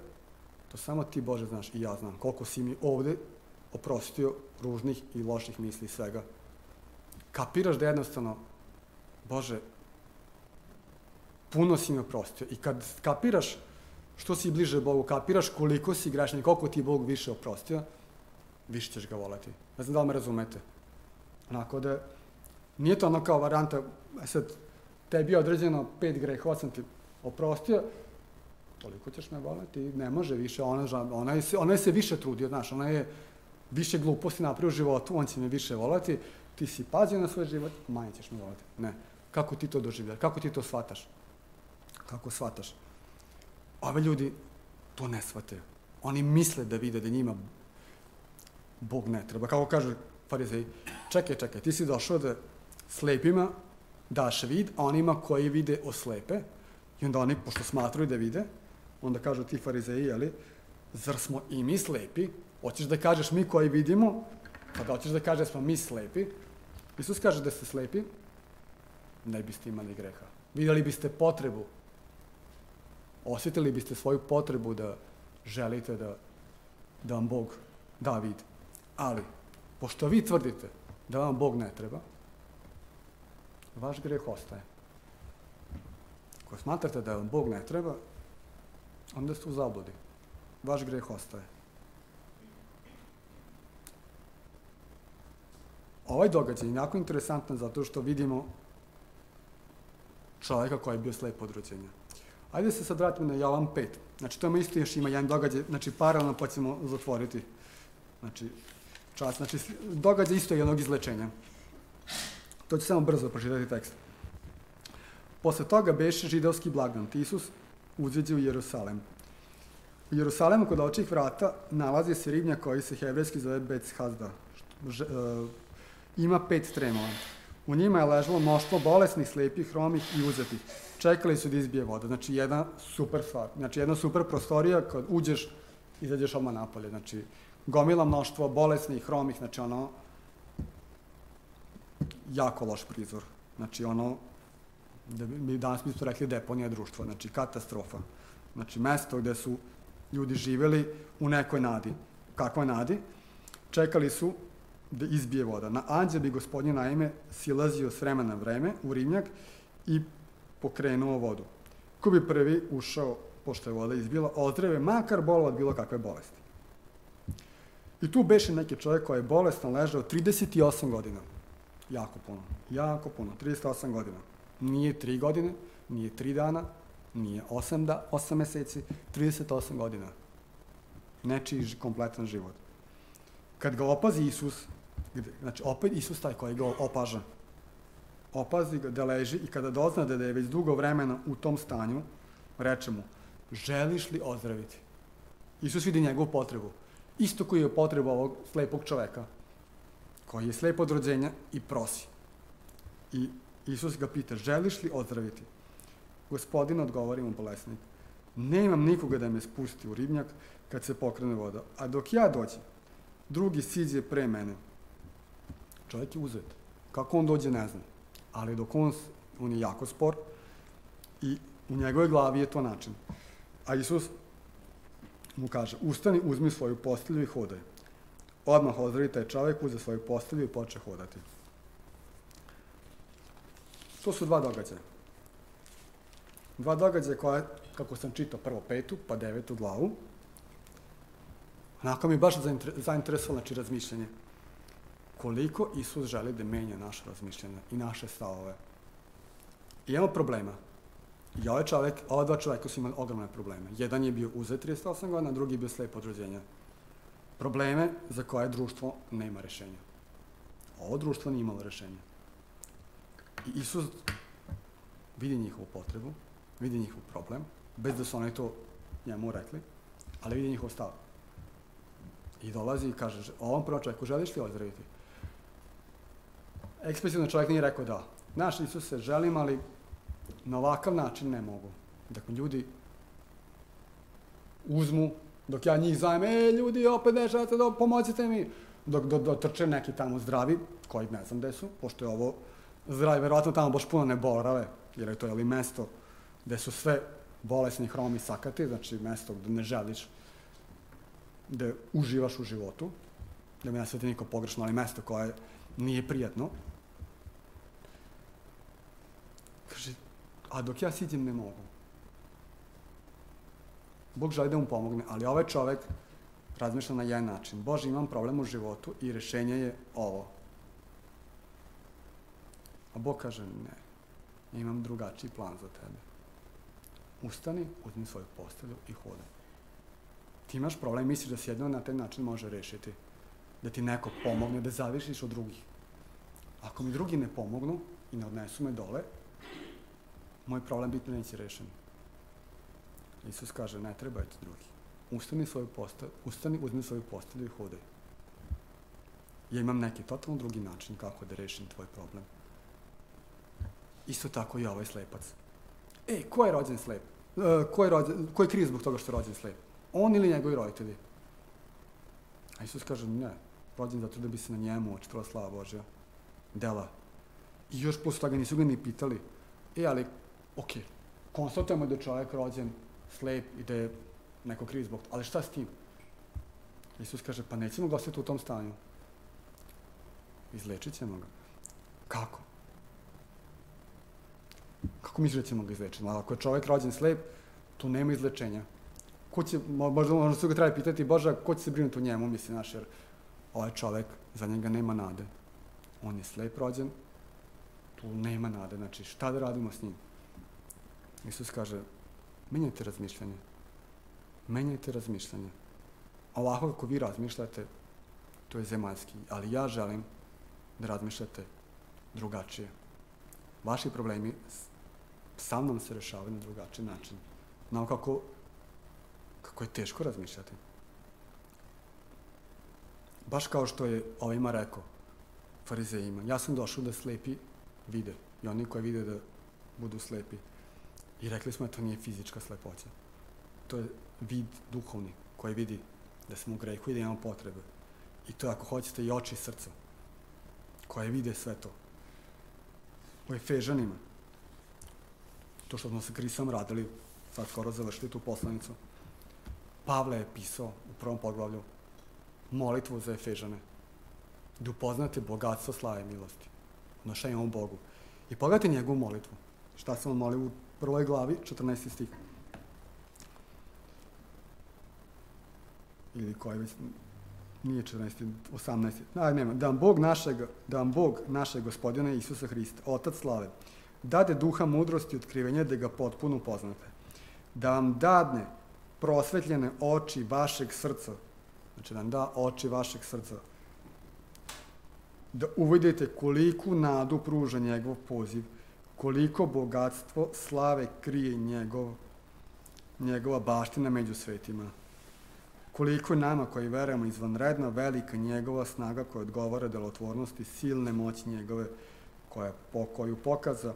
to samo ti, Bože, znaš i ja znam, koliko si mi ovde oprostio ružnih i loših misli i svega. Kapiraš da jednostavno, Bože, puno si mi oprostio. I kad kapiraš što si bliže Bogu, kapiraš koliko si grešan i koliko ti Bog više oprostio, više ćeš ga voleti. Ne znam da li me razumete. Onako da, nije to ono kao varijanta, sad, tebi je određeno pet grehova, sam ti oprostio, toliko ćeš me voleti, ne može više, ona, ona, je, ona je se više trudio, znaš, ona je više gluposti napravio u životu, on će me više voleti, ti si pazio na svoj život, manje ćeš me voleti. Ne. Kako ti to doživljaš? Kako ti to shvataš? Kako shvataš? Ove ljudi to ne shvataju. Oni misle da vide da njima Bog ne treba. Kako kaže farizeji, čekaj, čekaj, ti si došao da slepima daš vid, a onima koji vide oslepe, i onda oni, pošto smatruju da vide, onda kažu ti farizeji, jeli, zar smo i mi slepi? Hoćeš da kažeš mi koji vidimo, pa da hoćeš da kažeš smo mi slepi? Isus kaže da ste slepi, ne biste imali greha. Vidjeli biste potrebu osjetili biste svoju potrebu da želite da, da vam Bog da vid. Ali, pošto vi tvrdite da vam Bog ne treba, vaš greh ostaje. Ako smatrate da vam Bog ne treba, onda ste u zabludi. Vaš greh ostaje. Ovaj događaj je jako interesantan zato što vidimo čovjeka koji je bio slep od rođenja. Ajde se sad vratimo na Jovan pet. Znači, to je isto još ima jedan događaj, znači paralelno pa ćemo zatvoriti. Znači, čas, znači, događaj isto jednog izlečenja. To ću samo brzo pročitati tekst. Posle toga beše židovski blagdan. Isus uđeđe u Jerusalem. U Jerusalemu kod očih vrata nalazi se ribnjak koji se hebrejski zove Bethesda. Ž, uh, ima pet stremova. U njima je ležalo mnoštvo bolesnih, slepih, hromih i uzetih. Čekali su da izbije voda. Znači, jedna super stvar. Znači, jedna super prostorija, kad uđeš, izađeš odmah napolje. Znači, gomila mnoštvo bolesnih, hromih, znači ono, jako loš prizor. Znači, ono, da bi danas bismo rekli deponija društva. Znači, katastrofa. Znači, mesto gde su ljudi živeli u nekoj nadi. Kakvoj nadi? Čekali su da izbije voda. Na anđel bi gospodin naime silazio s vremena na vreme u ribnjak i pokrenuo vodu. Ko bi prvi ušao, pošto je voda izbila, ozdrave, makar bolo od bilo kakve bolesti. I tu beše neki čovjek koji je bolestan ležao trideset osam godina. Jako puno. Jako puno. trideset osam godina. Nije tri godine, nije tri dana, nije osam, da, osam meseci, trideset osam godina. Nečiji kompletan život. Kad ga opazi Isus, znači opet Isus taj koji ga opaža, opazi ga da leži i kada dozna da je već dugo vremena u tom stanju, reče mu, želiš li ozdraviti? Isus vidi njegovu potrebu. Isto koji je potrebu ovog slepog čoveka, koji je slep od rođenja i prosi. I Isus ga pita, želiš li ozdraviti? Gospodin odgovori mu bolesnik, nemam nikoga da me spusti u ribnjak kad se pokrene voda, a dok ja dođem, drugi siđe pre mene. Čovjek je uzet. Kako on dođe, ne znam. Ali dok on, on je jako spor i u njegovoj glavi je to način. A Isus mu kaže, ustani, uzmi svoju postelju i hodaj. Odmah ozdravi taj čovjek, uze svoju postelju i poče hodati. To su dva događaja. Dva događaja koja, kako sam čitao, prvo petu, pa devetu glavu, onako mi je baš zainteresovalo, znači, razmišljanje. Koliko Isus želi da menja naše razmišljanje i naše stavove. I imamo problema. I ovaj čovjek, ova dva čovjeka su imali ogromne probleme. Jedan je bio uzet trideset osam godina, drugi je bio slep od rođenja. Probleme za koje društvo nema rešenja. Ovo društvo nije imalo rešenja. I Isus vidi njihovu potrebu, vidi njihov problem, bez da su oni to njemu rekli, ali vidi njihov stav. I dolazi i kaže, ovom prvom čovjeku želiš li ozdraviti? Eksplicitno čovjek nije rekao da. Naš Isuse, želim, ali na ovakav način ne mogu. Dakle, ljudi uzmu, dok ja njih zovem, e, ljudi, opet nešate, da pomozite mi. Dok do, dotrče neki tamo zdravi, koji ne znam gde su, pošto je ovo zdravi, verovatno tamo baš puno ne borave, jer je to jeli mesto gde su sve bolesni, hromi, sakati, znači mesto gde ne želiš da uživaš u životu, da mi ne sveti niko pogrešno, ali mesto koje nije prijatno. Kaže, a dok ja siđem ne mogu. Bog želi da mu pomogne, ali ovaj čovek razmišlja na jedan način. Bože, imam problem u životu i rešenje je ovo. A Bog kaže, ne, ja imam drugačiji plan za tebe. Ustani, uzmi svoju postelju i hodaj. Ti imaš problem, misliš da se jedno na taj način može rešiti. Da ti neko pomogne, da zavišiš od drugih. Ako mi drugi ne pomognu i ne odnesu me dole, moj problem biti neće rešen. Isus kaže, ne trebaju ti drugi. Ustani, svoju postelju, ustani, uzmi svoju postelju i hodaj. Ja imam neki totalno drugi način kako da rešim tvoj problem. Isto tako i ovaj slepac. E, ko je rođen slep? E, ko je, rođen, ko je kriv zbog toga što je rođen slep? On ili njegovi roditelji? A Isus kaže, ne, rođen zato da bi se na njemu očitovala slava Božja. Dela. I još posle toga nisu ga ni pitali. E, ali, okej, konstatujemo da je čovjek rođen slep i da je neko kriv zbog toga. Ali šta s tim? Isus kaže, pa nećemo ga ostati u tom stanju. Izlečit ćemo ga. Kako? Kako misliš da ćemo ga izlečiti? Ako je čovjek rođen slep, tu nema izlečenja. Ko će, možda, možda se ga treba pitati, Bože, ko će se brinuti o njemu, misli naš, jer ovaj čovjek, za njega nema nade. On je slep rođen, tu nema nade. Znači, šta da radimo s njim? Isus kaže, menjajte razmišljanje. Menjajte razmišljanje. Ovako kako vi razmišljate, to je zemaljski, ali ja želim da razmišljate drugačije. Vaši problemi sa mnom se rešavaju na drugačiji način. Znamo kako, kako je teško razmišljati. Baš kao što je ovima rekao, farizejima, ja sam došao da slepi vide i oni koji vide da budu slepi. I rekli smo da to nije fizička slepoća. To je vid duhovni koji vidi da smo u grehu i da imamo potrebe. I to je, ako hoćete, i oči srca koje vide sve to. U Efežanima, to što smo sa Krisom radili, sad skoro završili tu poslanicu, Pavle je pisao u prvom poglavlju molitvu za Efežane, da upoznate bogatstvo slave milosti, odnošenje ovom Bogu. I pogledajte njegovu molitvu. Šta se on moli u prvoj glavi, četrnaesti stih. Ili koji već nije četrnaesti, osamnaesti. Aj, nema. Da vam Bog našeg, da vam Bog našeg Gospodina Isusa Hrista, Otac slave, dade duha mudrosti i otkrivenja da ga potpuno upoznate. Da vam dadne prosvetljene oči vašeg srca. Znači da vam da oči vašeg srca. Da uvidite koliku nadu pruža njegov poziv, koliko bogatstvo slave krije njegov, njegova baština među svetima. Koliko je nama koji verujemo izvanredna, velika njegova snaga koja odgovara delotvornosti silne moći njegove koja, po, koju pokaza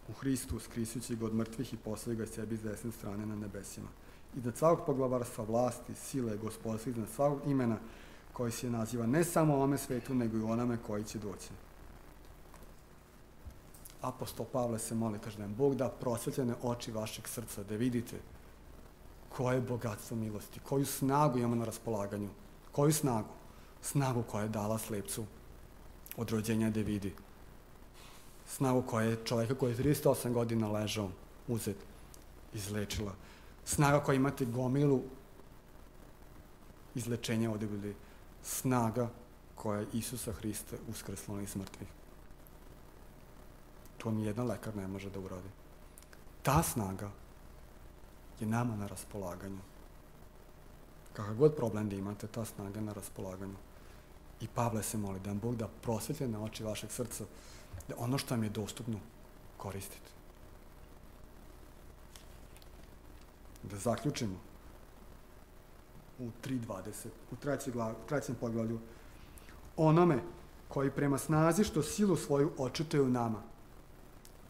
u Hristu, skrisujući ga od mrtvih i poslali ga sebi s desne strane na nebesima. Iznad svakog poglavarstva, vlasti, sile, gospodstva, iznad svakog imena koji se naziva ne samo u ovome svetu, nego i u onome koji će doći. Apostol Pavle se moli, kaže da vam Bog da prosvetljene oči vašeg srca, da vidite koje je bogatstvo milosti, koju snagu imamo na raspolaganju. Koju snagu? Snagu koja je dala slepcu od rođenja da vidi. Snagu koja je čovjeka koji je trideset osam godina ležao, uzet, izlečila. Snaga koja imate gomilu izlečenja ovdje bili. Snaga koja je Isusa Hrista uskrsla iz mrtvih. To nijedan lekar ne može da uradi. Ta snaga je nama na raspolaganju. Kakav god problem da imate, ta snaga je na raspolaganju. I Pavle se moli da vam Bog da prosvetljene oči vašeg srca, da ono što vam je dostupno koristite. Da zaključimo u tri dvadeset, u trećem poglavlju, onome koji prema snazi što silu svoju očituje u nama,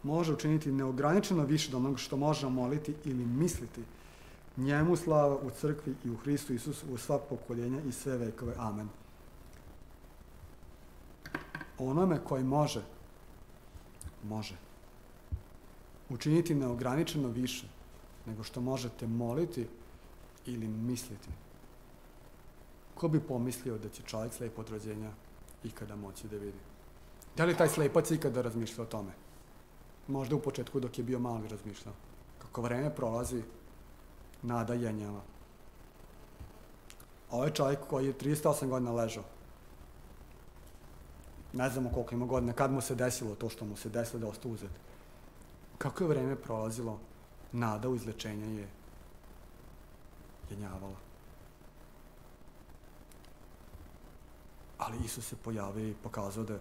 može učiniti neograničeno više od onoga što možemo moliti ili misliti. Njemu slava u crkvi i u Hristu Isusu u sva pokoljenja i sve vekove. Amen. Onome koji može, može učiniti neograničeno više nego što možete moliti ili misliti. Ko bi pomislio da će čovjek slep od rođenja ikada moći da vidi? Da li taj slepac ikada razmišlja o tome? Možda u početku dok je bio mali razmišljao. Kako vreme prolazi, nada jenjava. Ovaj čovjek koji je trideset osam godina ležao, ne znamo koliko ima godina, kad mu se desilo to što mu se desilo da ostao uzet. Kako je vreme prolazilo, nada u izlečenje je jenjavala. Ali Isus se pojavio i pokazao da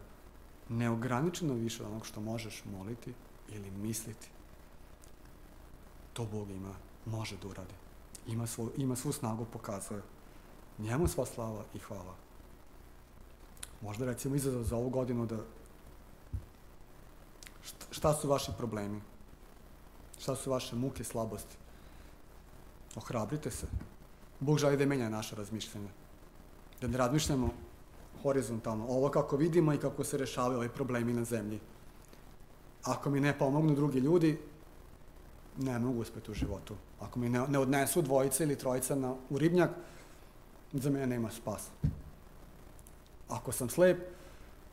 neograničeno više od onog što možeš moliti ili misliti, to Bog ima, može da uradi. Ima, svoj, ima svu snagu, pokazuje. Njemu sva slava i hvala. Možda recimo izazov za ovu godinu da šta su vaši problemi? Šta su vaše muke, slabosti? Ohrabrite se. Bog želi da menja naše razmišljanje. Da ne razmišljamo horizontalno. Ovo kako vidimo i kako se rešavaju ovi problemi na zemlji. Ako mi ne pomognu drugi ljudi, ne mogu uspjeti u životu. Ako mi ne, ne odnesu dvojica ili trojica na, u ribnjak, za mene nema spasa. Ako sam slep,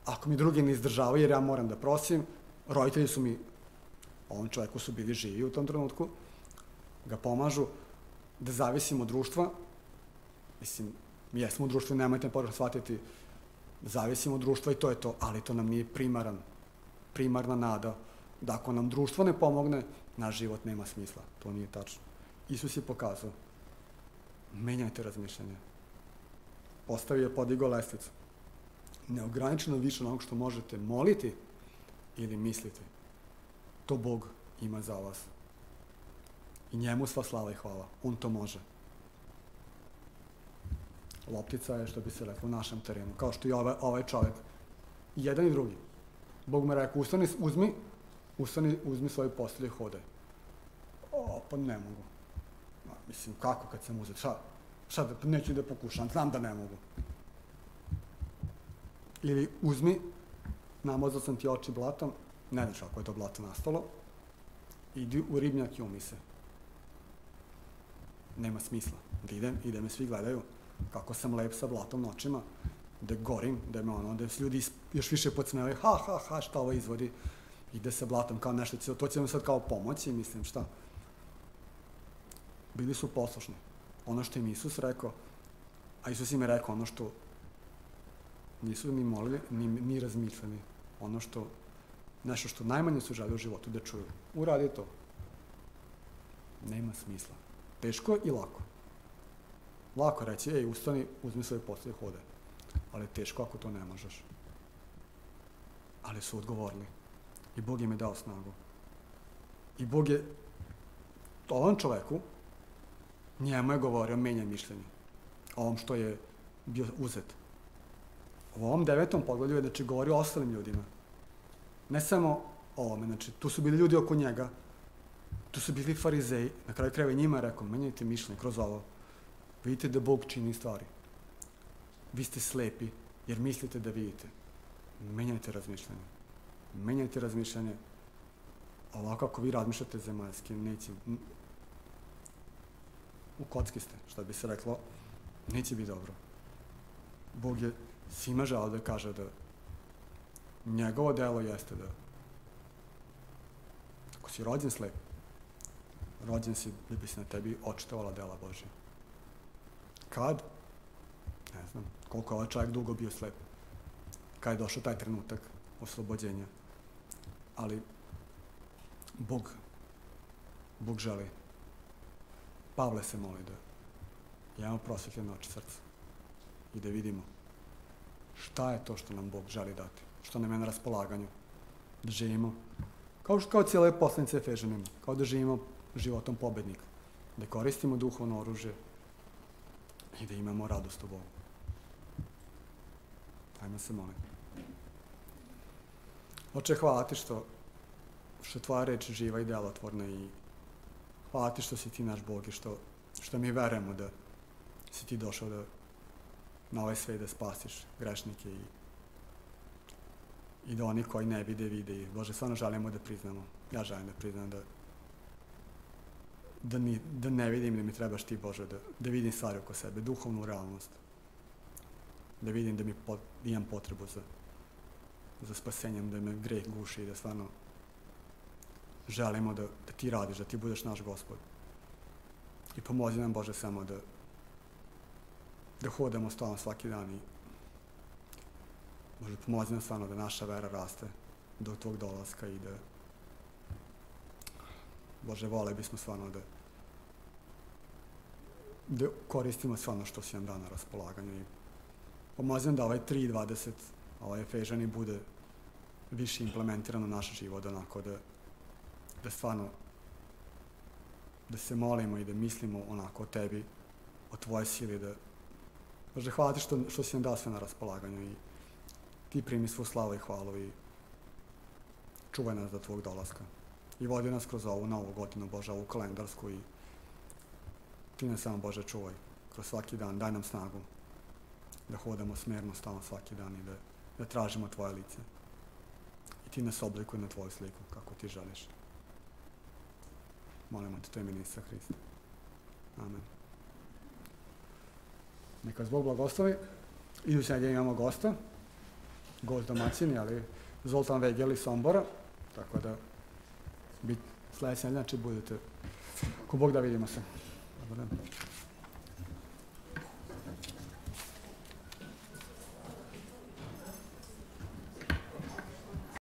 ako mi drugi ne izdržavaju jer ja moram da prosim, roditelji su mi, ovom čovjeku su bili živi u tom trenutku, ga pomažu, da zavisim od društva, mislim, mi jesmo u društvu, nemojte me pogrešno shvatiti, zavisimo od društva i to je to, ali to nam nije primaran, primarna nada, da ako nam društvo ne pomogne, naš život nema smisla. To nije tačno. Isus je pokazao, menjajte razmišljanje. Postavio je, podigao lestvicu. Neograničeno više onog što možete moliti ili misliti. To Bog ima za vas. I njemu sva slava i hvala. On to može. Loptica je, što bi se reklo, u našem terenu. Kao što i ovaj, ovaj čovjek. I jedan i drugi. Bog me rekao, ustani, uzmi, ustani, uzmi svoje postelje i hodaj. O, pa ne mogu. Ma, mislim, kako kad sam uzet? Šta? Šta da, neću da pokušam, znam da ne mogu. Ili uzmi, namazao sam ti oči blatom, ne znaš kako je to blato nastalo, idi u ribnjak i umi se. Nema smisla. Da idem i da me svi gledaju kako sam lep sa blatom na očima, da gorim, da me ono, da se ljudi još više podsmevaju, ha, ha, ha, šta ovo izvodi, ide sa blatom kao nešto, to će vam sad kao pomoći, mislim, šta. Bili su poslušni. Ono što im Isus rekao, a Isus im je rekao ono što nisu ni molili, ni, ni razmišljali. Ono što, nešto što najmanje su želi u životu da čuju. Uradi to. Nema smisla. Teško i lako. Lako reći, ej, ustani, uzmi svoje postelje i hodaj. Ali teško ako to ne možeš. Ali su odgovorili. I Bog im je dao snagu. I Bog je ovom čoveku, njemu je govorio, menjaj mišljenje. O ovom što je bio uzet. U ovom devetom poglavlju je da će govori o ostalim ljudima. Ne samo o ovome, znači tu su bili ljudi oko njega, tu su bili farizeji, na kraju krajeva i njima je rekao, menjajte mišljenje kroz ovo. Vidite da Bog čini stvari. Vi ste slepi jer mislite da vidite. Menjajte razmišljanje. Menjajte razmišljanje. Ovako ako vi razmišljate zemaljski, neće... U kocki ste, što bi se reklo, neće biti dobro. Bog je svima želeo da kaže da njegovo delo jeste da ako si rođen slep, rođen si da bi se na tebi očitovala dela Božja. Kad? Ne znam. Koliko je ovaj čovjek dugo bio slep. Kad je došao taj trenutak oslobođenja. Ali Bog, Bog želi. Pavle se moli da imamo prosvetljene oči srca i da vidimo šta je to što nam Bog želi dati, što nam je na raspolaganju, da živimo kao, kao cijele poslanice Efežanima, kao da živimo životom pobednika, da koristimo duhovno oružje i da imamo radost u Bogu. Ajmo se moliti. Oče, hvala ti što, što tvoja reč živa i delotvorna i hvala ti što si ti naš Bog i što, što mi verujemo da si ti došao da na ovaj svet da spasiš grešnike i, i da oni koji ne vide, vide i Bože, stvarno želimo da priznamo. Ja želim da priznam da da, ni, da ne vidim da mi trebaš ti, Bože, da, da vidim stvari oko sebe, duhovnu realnost. Da vidim da mi pot, imam potrebu za, za spasenjem, da me greh guši i da stvarno želimo da, da ti radiš, da ti budeš naš Gospod. I pomozi nam, Bože, samo da da hodamo s tobom svaki dan i Bože, pomozi nam stvarno da naša vera raste do tvog dolaska i da Bože, vole bismo stvarno da da koristimo sve ono što si nam dao na raspolaganju i pomozi nam da ovaj tri dvadeset, ovaj Efežani bude više implementiran u naš život, onako da da stvarno da se molimo i da mislimo onako o tebi, o tvojoj sili, da Bože, hvala ti što, što si nam dao sve na raspolaganju i ti primi svu slavu i hvalu i čuvaj nas do tvog dolaska. I vodi nas kroz ovu novu godinu, Bože, ovu kalendarsku i ti nas samo, Bože, čuvaj kroz svaki dan, daj nam snagu da hodamo smerno stalno svaki dan i da, da tražimo tvoje lice. I ti nas oblikuj na tvoju sliku, kako ti želiš. Molimo te, to je ime Isusa Hrista. Amen. Neka vas Bog blagoslovi. Iduće nedelje imamo gosta, gost domaćini, ali Zoltan Vegel iz Sombora, tako da bit, sledeće nedelje, znači budete, ko Bog da vidimo se. Dobar dan.